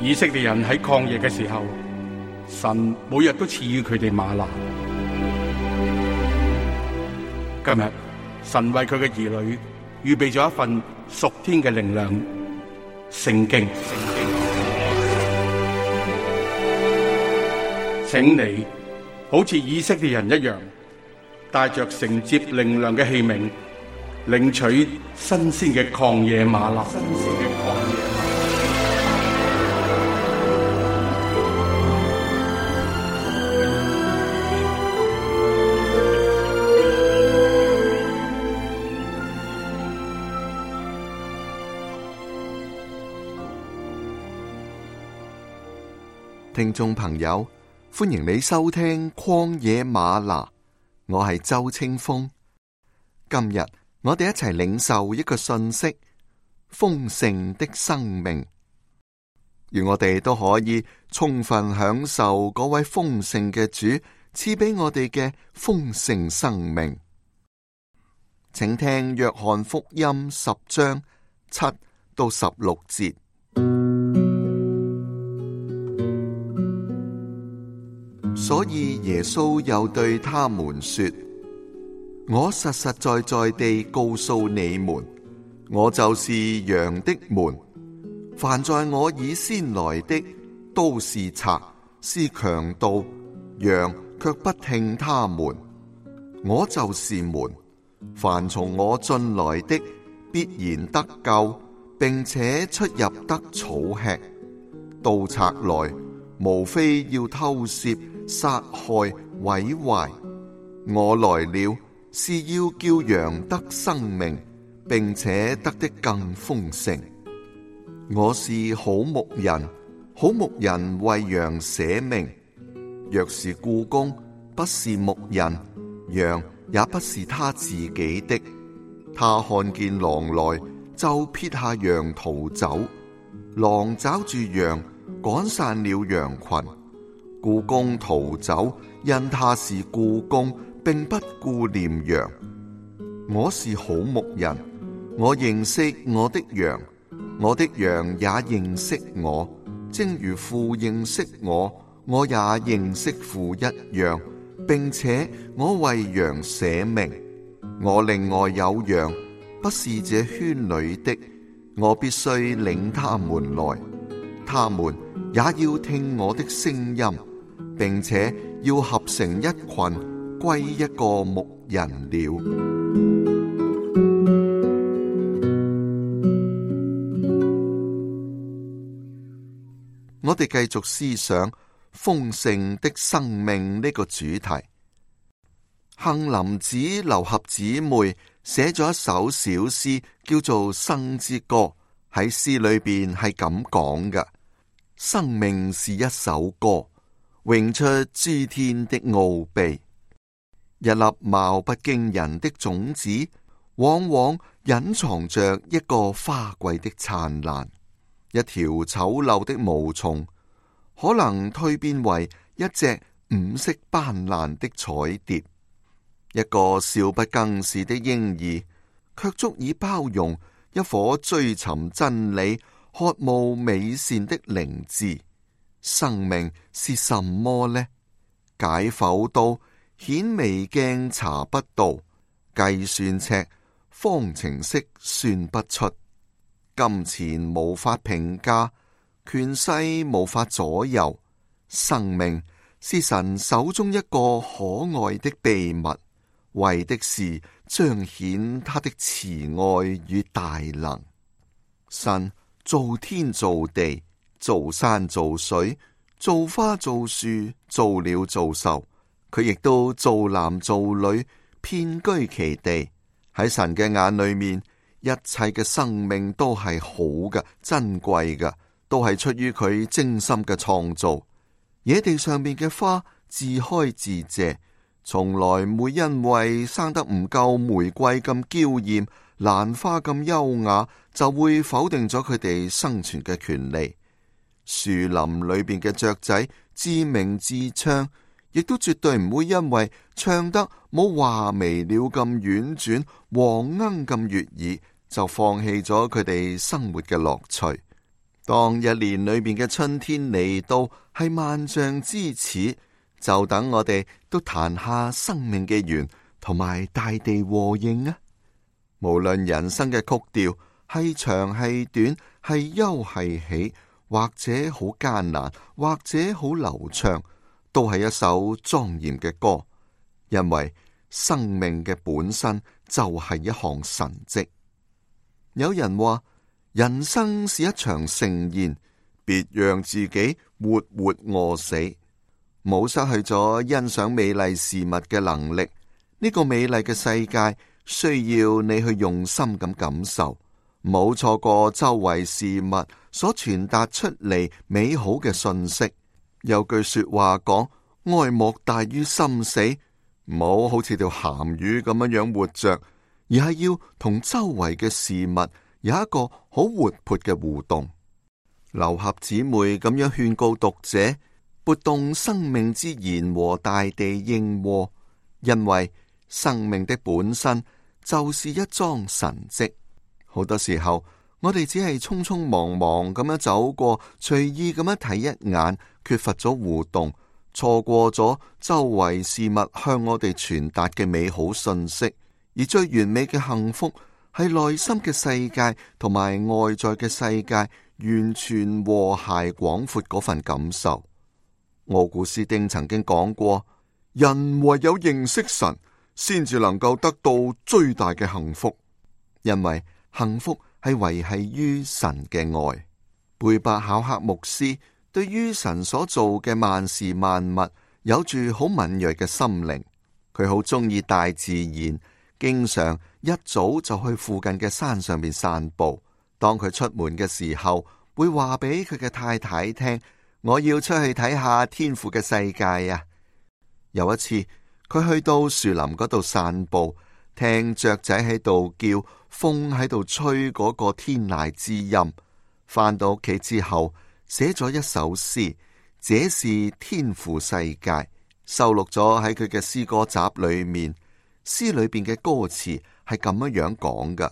以色列人喺曠野嘅時候，神每日都賜予佢哋嗎哪。今日神為佢嘅兒女預備咗一份屬天嘅靈糧——聖經。請你好似以色列人一樣，帶着承接靈糧嘅器皿，領取新鮮嘅曠野嗎哪。聽眾朋友，歡迎你收聽曠野嗎哪，我係周清風。今日我哋一齊領受一個信息：豐盛的生命，而我哋都可以充分享受嗰位豐盛嘅主賜俾我哋嘅豐盛生命。請聽約翰福音10章7到16節。所以耶穌又對他們說：我實實在在地告訴你們，我就是羊的門。凡在我以先來的，都是賊，是強盜，羊卻不聽他們。我就是門，凡從我進來的，必然得救，並且出入得草吃。盜賊來，無非要偷竊、殺害、毀壞。我來了，是要叫羊得生命，並且得的更豐盛。我是好牧人，好牧人為羊捨命。若是雇工，不是牧人，羊也不是他自己的。他看見狼來，就撇下羊逃走。狼抓住羊，趕散了羊群。雇工逃走，因他是雇工，並不顧念羊。我是好牧人，我認識我的羊，我的羊也認識我，正如父認識我，我也認識父一樣，並且我為羊捨命。我另外有羊，不是這圈裏的，我必須領他們來，他們也要聽我的聲音，並且要合成一群，歸一個牧人了。我哋繼續思想豐盛的生命呢個主題。杏林子、劉俠姊妹寫咗一首小詩，叫做《生之歌》。喺詩裏邊係咁講嘅：生命是一首歌，詠出諸天的奧秘。一粒貌不驚人的種子，往往隱藏着一個花季的燦爛。一條醜陋的毛蟲，可能蛻變為一隻五色斑斕的彩蝶。一個少不更事的嬰兒，卻足以包容一顆追尋真理、渴慕美善的靈智。生命是什麼呢？解剖刀、顯微鏡查不到，計算尺、方程式算不出。金錢無法評價，權勢無法左右。生命是神手中一個可愛的秘密，為的是彰顯他的慈愛與大能。神造天造地，造山造水，造花造樹，造鳥造獸，佢亦都造男造女，遍居其地。喺神嘅眼裏面，一切嘅生命都係好嘅、珍貴嘅，都係出於佢精心嘅創造。野地上面嘅花自開自謝，從來唔會因為生得唔夠玫瑰咁嬌艷、蘭花咁優雅，就會否定咗佢哋生存嘅權利。樹林裏邊嘅雀仔自鳴自唱，亦都絕對唔會因為唱得冇畫眉鳥咁婉轉、黃鶯咁悅耳，就放棄咗佢哋生活嘅樂趣。當一年裏面嘅春天嚟到，係萬象之始，就等我哋都彈下生命嘅弦，同埋大地和應啊！無論人生嘅曲調係長係短，係憂係喜，或者好艱難，或者好流暢，都係一首莊嚴嘅歌，因為生命嘅本身就係一項神蹟。有人話，人生是一場盛宴，別讓自己活活餓死，冇失去咗欣賞美麗事物嘅能力。呢個美麗嘅世界需要你去用心咁感受，冇錯過周圍事物所傳達出嚟美好嘅信息。有句說話講，愛莫大於心死，唔好好似條鹹魚咁樣活着，而係要同周圍嘅事物有一個好活潑嘅互動。劉俠姊妹咁樣勸告讀者，撥動生命之弦和大地應和，因為生命的本身就是一樁神蹟。好多時候，我哋只係匆匆忙忙咁樣走過，隨意咁樣睇一眼，缺乏咗互動，錯過咗周圍事物向我哋傳達嘅美好信息。而最完美嘅幸福，係內心嘅世界同埋外在嘅世界完全和諧廣闊嗰份感受。奧古斯丁曾經講過，人唯有認識神，先至能夠得到最大嘅幸福，因為幸福係維繫於神嘅愛。貝伯考克牧師對於神所做嘅萬事萬物有住好敏銳嘅心靈，佢好中意大自然，經常一早就去附近嘅山上面散步。當佢出門嘅時候，會話俾佢嘅太太聽，我要出去睇下天父嘅世界啊！有一次，佢去到樹林嗰度散步，聽雀仔喺度叫，風喺度吹嗰個天籟之音。返到屋企之後，寫咗一首詩，這是天父世界，收錄咗喺佢嘅詩歌集裏面。詩裏邊嘅歌詞係咁樣講㗎：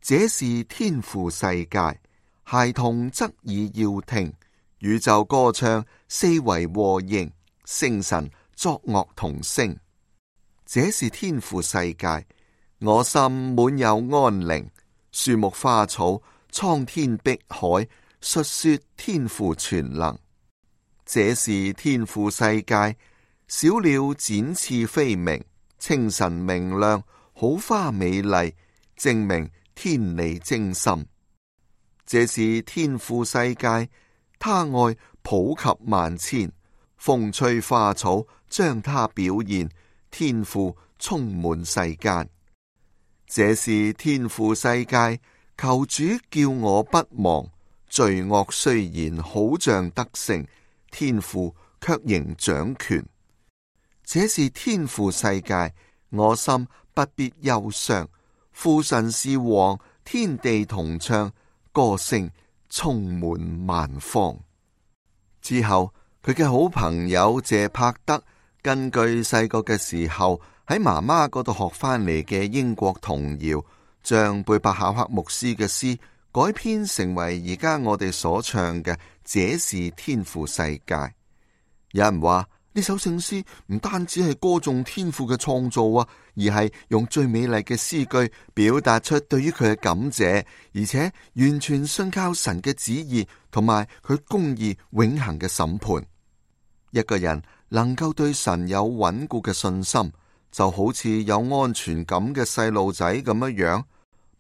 這是天父世界，孩童側耳要聽，宇宙歌唱，四圍和應，星辰作樂同聲。這是天父世界，我心滿有安寧，樹木花草，蒼天碧海，述說天父全能。這是天父世界，小鳥展翅飛鳴，清晨明亮，好花美麗，證明天理精深。這是天父世界，他愛普及萬千，風吹花草，將他表現，天父充滿世間。這是天父世界，求主叫我不忘，罪惡雖然好像得勝，天父卻仍掌權。這是天父世界，我心不必憂傷，父神是王，天地同唱，歌聲充滿萬方。之後，佢嘅好朋友謝柏德根據細個嘅時候喺媽媽嗰度學翻嚟嘅英國童謠，將貝伯考克牧師嘅詩改編成為而家我哋所唱嘅《這是天父世界》。有人話呢首聖詩唔單止係歌頌天父嘅創造啊，而係用最美麗嘅詩句表達出對於佢嘅感謝，而且完全信靠神嘅旨意同埋佢公義永恆嘅審判。一個人能夠對神有穩固嘅信心，就好似有安全感嘅細路仔咁樣。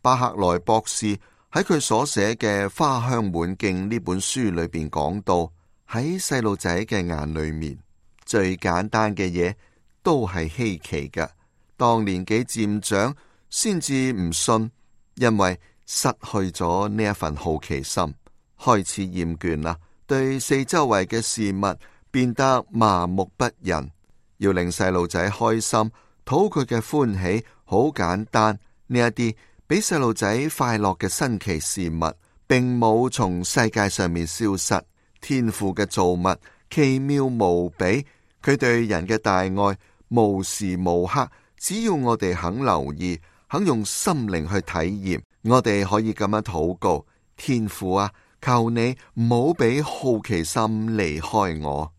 巴克萊博士喺佢所寫嘅《花香滿徑》呢本書裏邊講到，喺細路仔嘅眼裏面，最簡單嘅嘢都係稀奇嘅。當年紀漸長，先至唔信，因為失去咗呢一份好奇心，開始厭倦啦，對四周圍嘅事物變得麻木不仁。要令細路仔開心，討佢嘅歡喜，好簡單。呢一啲俾細路仔快樂嘅新奇事物，並冇從世界上面消失。天父嘅造物奇妙無比，佢對人嘅大愛無時無刻，只要我哋肯留意，肯用心靈去體驗，我哋可以咁樣禱告：天父啊，求你唔好俾好奇心離開我。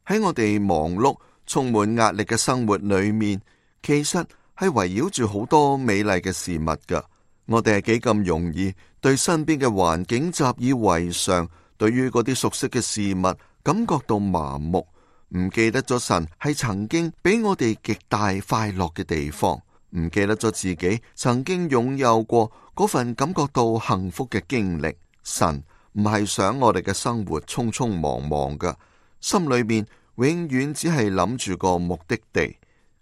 喺我哋忙碌、充滿壓力嘅生活裏面，其實係圍繞住好多美麗嘅事物噶。我哋係幾咁容易對身邊嘅環境習以為常，對於嗰啲熟悉嘅事物感覺到麻木，唔記得咗神係曾經俾我哋極大快樂嘅地方，唔記得咗自己曾經擁有過嗰份感覺到幸福嘅經歷。神唔係想我哋嘅生活匆匆忙忙噶，心裏面永遠只係諗住個目的地，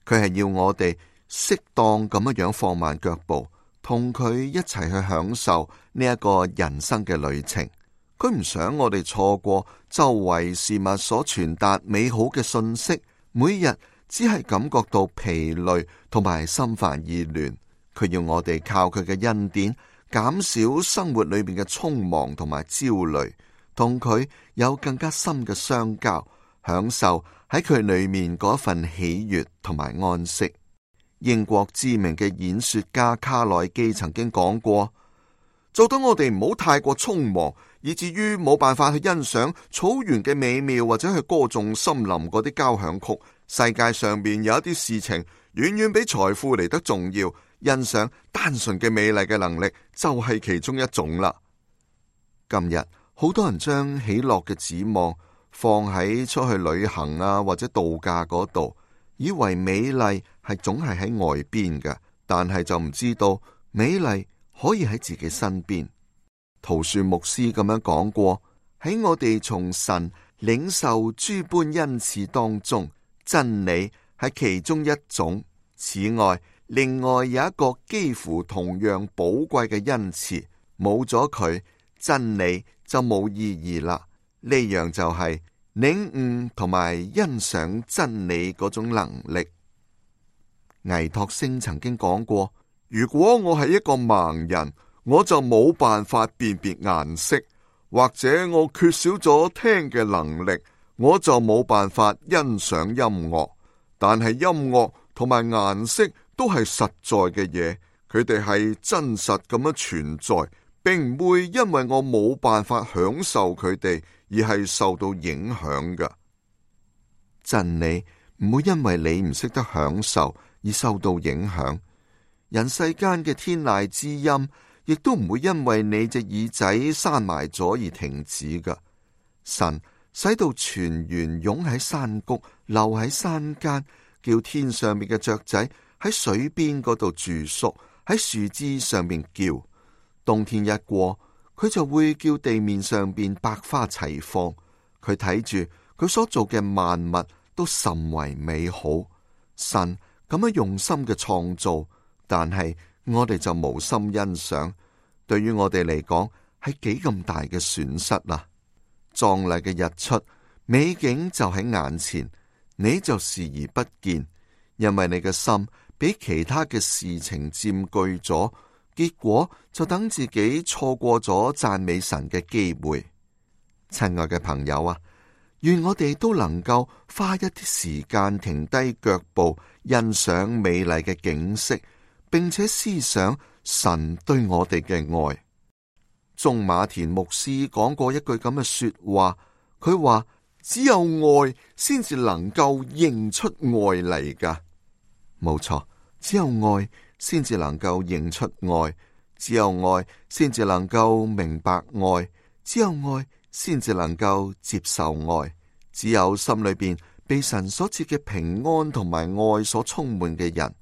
佢係要我哋適當咁樣放慢腳步，同佢一齊去享受呢一個人生嘅旅程。佢唔想我哋錯過周圍事物所傳達美好嘅信息，每日只係感覺到疲累同埋心煩意亂。佢要我哋靠佢嘅恩典，減少生活裏面嘅匆忙同埋焦慮，同佢有更加深嘅相交，享受喺佢裏面嗰份喜悅同埋安息。英國知名嘅演說家卡內基曾經講過，做到我哋唔好太過匆忙，以至於冇辦法去欣賞草原嘅美妙，或者去歌頌森林嗰啲交響曲。世界上面有一啲事情遠遠比財富嚟得重要，欣賞單純嘅美麗嘅能力就係其中一種啦。今日好多人將喜樂嘅指望放喺出去旅行啊，或者度假嗰度，以為美麗係總係喺外邊嘅，但係就唔知道美麗可以喺自己身邊。陶恕牧師咁樣講過，喺我哋從神領受諸般恩賜當中，真理係其中一種。此外，另外有一個幾乎同樣寶貴嘅恩賜，冇咗佢，真理就冇意義啦。呢樣就係領悟同埋欣賞真理嗰種能力。倪柝聲曾經講過，如果我係一個盲人，我就冇辦法辨別顏色，或者我缺少咗聽嘅能力，我就冇辦法欣賞音樂。但係音樂同埋顏色都係實在嘅嘢，佢哋係真實咁樣存在，並唔會因為我冇辦法享受佢哋而係受到影響㗎。真理唔會因為你唔識得享受而受到影響，人世間嘅天籟之音亦都唔會因為你隻耳仔閂埋咗而停止㗎。神使到泉源湧喺山谷，流喺山間，叫天上面嘅雀仔喺水邊嗰度住宿，喺樹枝上面叫。冬天一過，佢就會叫地面上邊百花齊放。佢睇住佢所做嘅萬物都甚為美好。神咁樣用心嘅創造，但係我哋就無心欣賞，對於我哋嚟講係幾咁大嘅損失啊！壯麗嘅日出，美景就喺眼前，你就視而不見，因為你嘅心俾其他嘅事情佔據咗，結果就等自己錯過咗讚美神嘅機會。親愛嘅朋友啊，願我哋都能夠花一啲時間停低腳步，欣賞美麗嘅景色，並且思想神對我哋嘅愛。鍾馬田牧師講過一句咁嘅說話，佢話只有愛先至能夠認出愛嚟噶。冇錯，只有愛先至能夠認出愛，只有愛先至能夠明白愛，只有愛先至能夠接受愛，只有心裏邊被神所賜嘅平安同埋愛所充滿嘅人，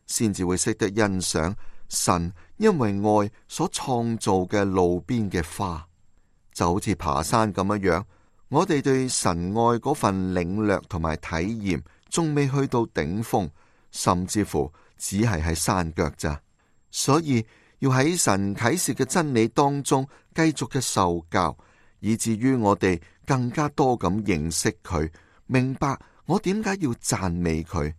先至會識得欣賞神因為愛所創造嘅路邊嘅花。就好似爬山咁樣，我哋對神愛嗰份領略同埋體驗仲未去到頂峰，甚至乎只係喺山腳咋。所以要喺神啟示嘅真理當中繼續嘅受教，以至於我哋更加多咁認識佢，明白我點解要讚美佢。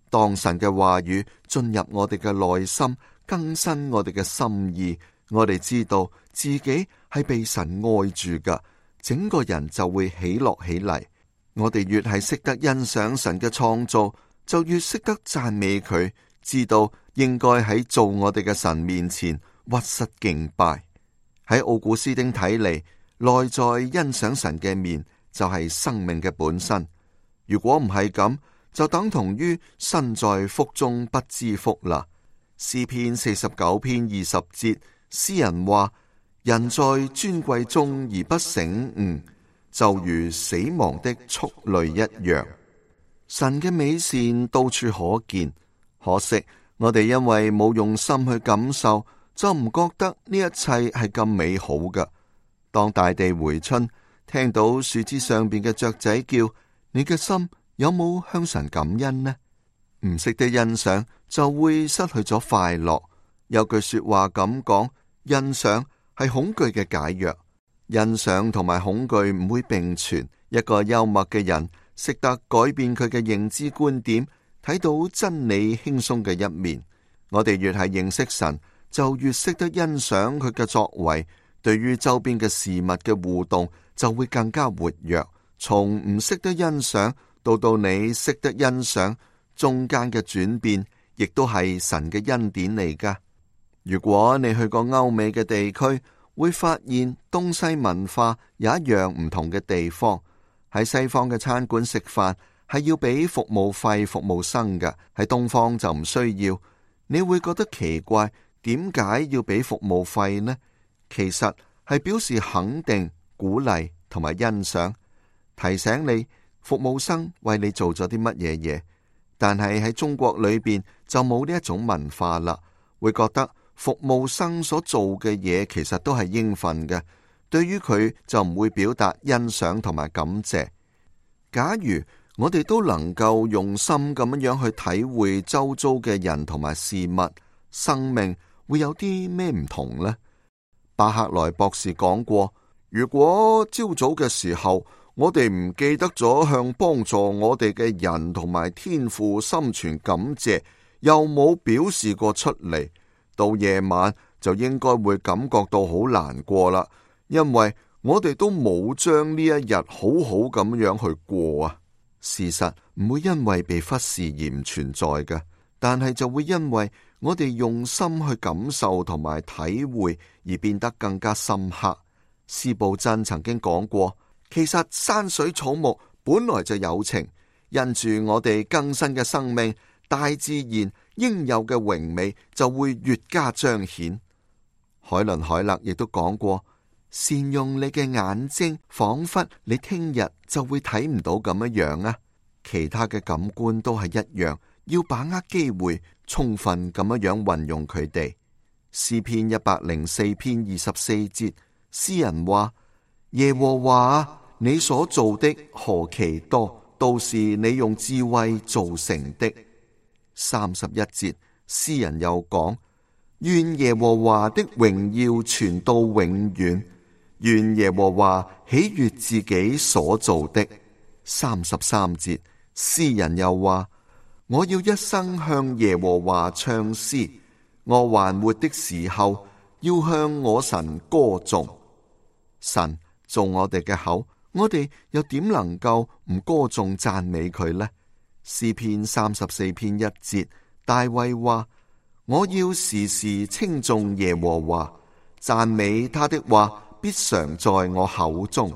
當神嘅話語進入我哋嘅內心，更新我哋嘅心意，我哋知道自己係被神愛住噶，整個人就會喜樂起嚟。我哋越係識得欣賞神嘅創造，就越識得讚美佢，知道應該喺做我哋嘅神面前屈膝敬拜。喺奧古斯丁睇嚟，內在欣賞神嘅面就係生命嘅本身。如果唔係咁，就等同於身在福中不知福啦。詩篇49篇20節，詩人話：人在尊貴中而不醒悟，就如死亡的畜類一樣。神嘅美善到處可見，可惜我哋因為冇用心去感受，就唔覺得呢一切係咁美好㗎。當大地回春，聽到樹枝上邊嘅雀仔叫，你嘅心有冇向神感恩呢？唔識得欣賞，就會失去咗快樂。有句說話咁講：欣賞係恐懼嘅解藥。欣賞同埋恐懼唔會並存。一個幽默嘅人，識得改變佢嘅認知觀點，睇到真理輕鬆嘅一面。我哋越係認識神，就越識得欣賞佢嘅作為，對於周邊嘅事物嘅互動就會更加活躍。從唔識得欣賞到你識得欣賞，中間嘅轉變亦都係神嘅恩典嚟㗎。如果你去過歐美嘅地區，會發現東西文化有一樣唔同嘅地方。喺西方嘅餐館食飯係要俾服務費服務生嘅，喺東方就唔需要。你會覺得奇怪，點解要俾服務費呢？其實係表示肯定、鼓勵同埋欣賞，提醒你服務生為你做咗啲乜嘢嘢。但係喺中國裏邊就冇呢一種文化啦，會覺得服務生所做嘅嘢其實都係應份嘅，對於佢就唔會表達欣賞同埋感謝。假如我哋都能夠用心咁樣去體會周遭嘅人同埋事物，生命會有啲咩唔同呢？巴克萊博士講過，如果朝早嘅時候我哋唔記得咗向幫助我哋嘅人同埋天父心存感謝，又冇表示過出嚟，到夜晚就應該會感覺到好難過啦，因為我哋都冇將呢一日好好咁樣去過啊。事實唔會因為被忽視而唔存在嘅，但係就會因為我哋用心去感受同埋體會而變得更加深刻。司布真曾經講過，其實山水草木本來就有情，因住我哋更新嘅生命，大自然應有嘅榮美就會越加彰顯。海倫海勒亦都講過，善用你嘅眼睛，仿佛你聽日就會睇唔到咁樣啊！其他嘅感官都係一樣，要把握機會，充分咁樣運用佢哋。詩篇104篇24節，詩人話：耶和華，你所做的何其多，都是你用智慧造成的。31節，詩人又講：願耶和華的榮耀傳到永遠，願耶和華喜悅自己所做的。33節，詩人又話：我要一生向耶和華唱詩，我還活的時候要向我神歌頌。神做我哋嘅口，我哋又點能夠唔歌頌讚美佢呢？詩篇34篇1節，大衛話：我要時時稱頌耶和華，讚美他的話必常在我口中。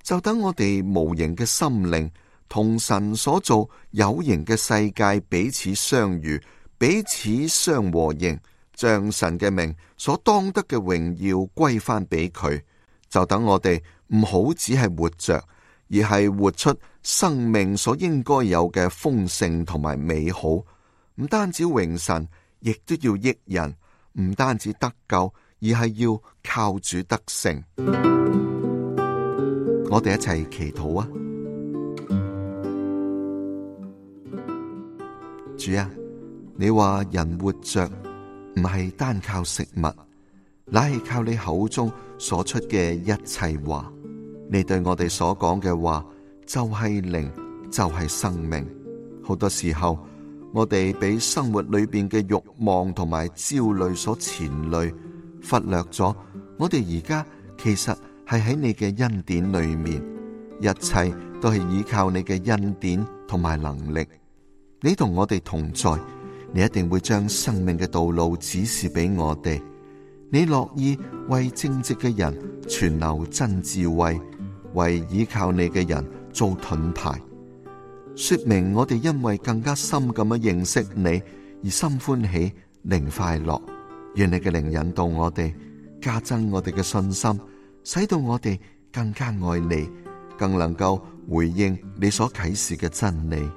就等我哋無形嘅心靈同神所做有形嘅世界彼此相遇，彼此相和應，將神嘅名所當得嘅榮耀歸翻俾佢。就等我哋唔好只係活着，而係活出生命所應該有嘅豐盛同埋美好。唔單止榮神，亦都要益人；唔單止得救，而係要靠主得勝。我哋一齊祈禱啊！主啊，你話人活着唔係單靠食物，乃係靠你口中所出嘅一切話。你對我哋所講嘅話就係靈，就係生命。好多時候我哋俾生活裏邊嘅慾望同埋焦慮所纏累，忽略咗我哋而家其實係喺你嘅恩典裏面，一切都係依靠你嘅恩典同埋能力。你同我哋同在，你一定會將生命嘅道路指示俾我哋。你樂意為正直嘅人存留真智慧，為倚靠你嘅人做盾牌，說明我哋因為更加深咁樣認識你而心歡喜，靈快樂。願你嘅靈引導我哋，加增我哋嘅信心，使到我哋更加愛你，更能夠回應你所啟示嘅真理。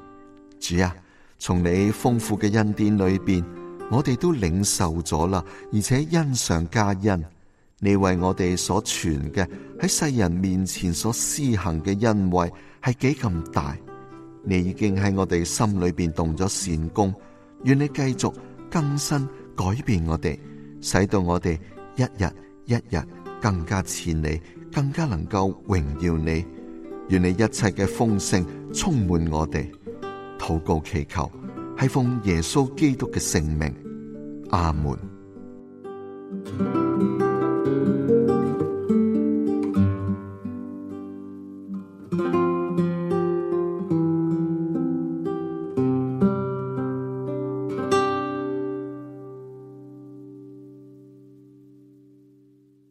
主啊，從你豐富嘅恩典裏邊，我哋都領受咗啦，而且恩上加恩。你為我哋所傳嘅，喺世人面前所施行嘅恩惠係幾咁大。你已經喺我哋心裏邊動咗善工，願你繼續更新改變我哋，使到我哋一日一日更加似你，更加能夠榮耀你。願你一切嘅豐盛充滿我哋。禱告祈求係奉耶穌基督嘅聖名，阿門。